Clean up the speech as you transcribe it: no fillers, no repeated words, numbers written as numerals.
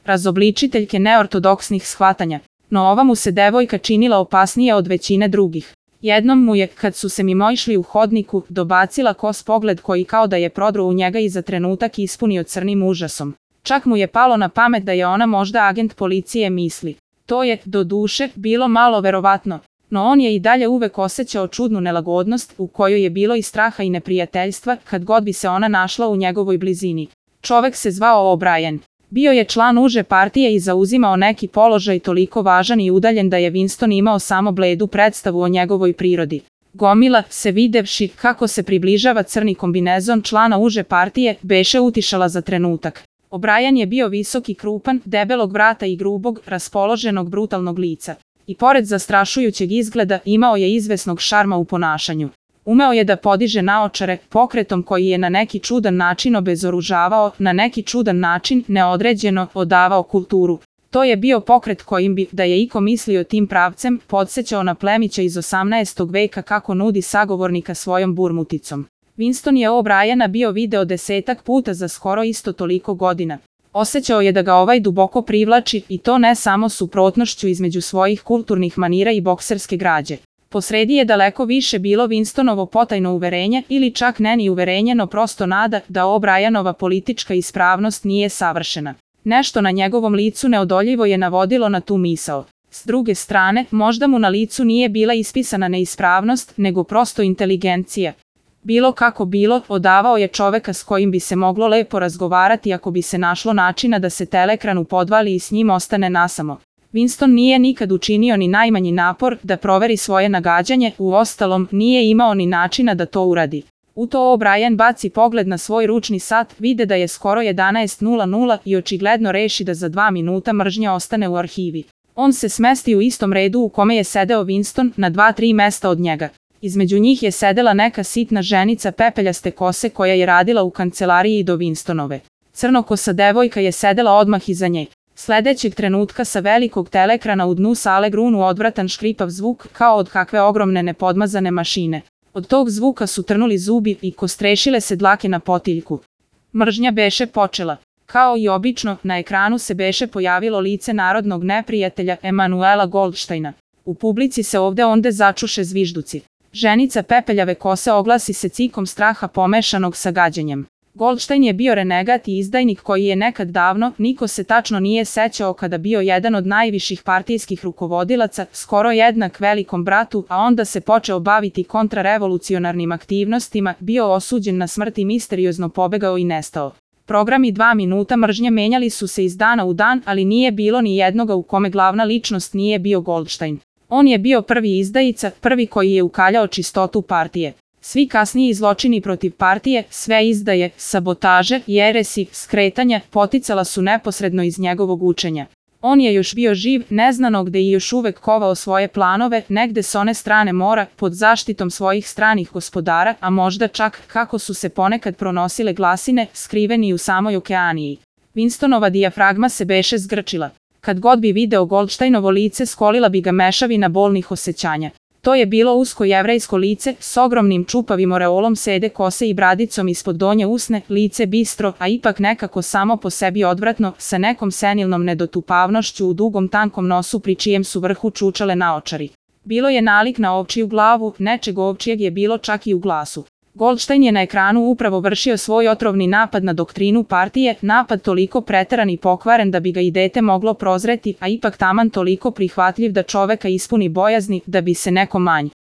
razobličiteljke neortodoksnih shvatanja, no ova mu se devojka činila opasnija od većine drugih. Jednom mu je, kad su se mimoišli u hodniku, dobacila kos pogled koji kao da je prodro u njega i za trenutak ispunio crnim užasom. Čak mu je palo na pamet da je ona možda agent policije misli. To je, doduše, bilo malo verovatno, no on je i dalje uvek osjećao čudnu nelagodnost u kojoj je bilo i straha i neprijateljstva kad god bi se ona našla u njegovoj blizini. Čovek se zvao O'Brien. Bio je član uže partije i zauzimao neki položaj toliko važan i udaljen da je Winston imao samo bledu predstavu o njegovoj prirodi. Gomila se videvši kako se približava crni kombinezon člana uže partije, beše utišala za trenutak. O'Brien je bio visok i krupan, debelog vrata i grubog, raspoloženog brutalnog lica. I pored zastrašujućeg izgleda imao je izvesnog šarma u ponašanju. Umeo je da podiže naočare, pokretom koji je na neki čudan način obezoružavao, na neki čudan način, neodređeno, odavao kulturu. To je bio pokret kojim bi, da je iko mislio tim pravcem, podsećao na plemića iz 18. veka kako nudi sagovornika svojom burmuticom. Winston je O'Briena bio video 10 puta za skoro isto toliko godina. Osjećao je da ga ovaj duboko privlači i to ne samo suprotnošću između svojih kulturnih manira i bokserske građe. Posredi je daleko više bilo Winstonovo potajno uverenje ili čak ne ni uverenje, no prosto nada da O'Brienova politička ispravnost nije savršena. Nešto na njegovom licu neodoljivo je navodilo na tu misao. S druge strane, možda mu na licu nije bila ispisana neispravnost, nego prosto inteligencija. Bilo kako bilo, odavao je čoveka s kojim bi se moglo lepo razgovarati ako bi se našlo načina da se telekranu podvali i s njim ostane nasamo. Winston nije nikad učinio ni najmanji napor da proveri svoje nagađanje, uostalom nije imao ni načina da to uradi. U to O'Brien baci pogled na svoj ručni sat, vide da je skoro 11:00 i očigledno reši da za 2 minuta mržnja ostane u arhivi. On se smesti u istom redu u kome je sedeo Winston, na 2-3 mesta od njega. Između njih je sedela neka sitna ženica pepeljaste kose koja je radila u kancelariji do Winstonove. Crnokosa devojka je sedela odmah iza nje. Sledećeg trenutka sa velikog telekrana u dnu sale grunu odvratan škripav zvuk kao od kakve ogromne nepodmazane mašine. Od tog zvuka su trnuli zubi i kostrešile se dlake na potiljku. Mržnja beše počela. Kao i obično, na ekranu se beše pojavilo lice narodnog neprijatelja Emanuela Goldsteina. U publici se ovde onde začuše zvižduci. Ženica pepeljave kose oglasi se cikom straha pomešanog sa gađenjem. Goldstein je bio renegat i izdajnik koji je nekad davno, niko se tačno nije sećao kada bio jedan od najviših partijskih rukovodilaca, skoro jednak velikom bratu, a onda se počeo baviti kontrarevolucionarnim aktivnostima, bio osuđen na smrt i misteriozno pobegao i nestao. Programi 2 minuta mržnje menjali su se iz dana u dan, ali nije bilo ni jednoga u kome glavna ličnost nije bio Goldstein. On je bio prvi izdajica, prvi koji je ukaljao čistotu partije. Svi kasniji zločini protiv partije, sve izdaje, sabotaže, jeresi, skretanja, poticala su neposredno iz njegovog učenja. On je još bio živ, neznano gde i još uvek kovao svoje planove, negde s one strane mora, pod zaštitom svojih stranih gospodara, a možda čak, kako su se ponekad pronosile glasine, skriveni u samoj okeaniji. Winstonova dijafragma se beše zgrčila. Kad god bi video Goldsteinovo lice, skolila bi ga mešavina bolnih osjećanja. To je bilo usko jevrejsko lice, s ogromnim čupavim oreolom sede kose i bradicom ispod donje usne, lice bistro, a ipak nekako samo po sebi odvratno, sa nekom senilnom nedotupavnošću u dugom tankom nosu pri čijem su vrhu čučale naočari. Bilo je nalik na ovčiju glavu, nečeg ovčijeg je bilo čak i u glasu. Goldstein je na ekranu upravo vršio svoj otrovni napad na doktrinu partije, napad toliko preteran i pokvaren da bi ga i dete moglo prozreti, a ipak taman toliko prihvatljiv da čoveka ispuni bojazni da bi se neko manj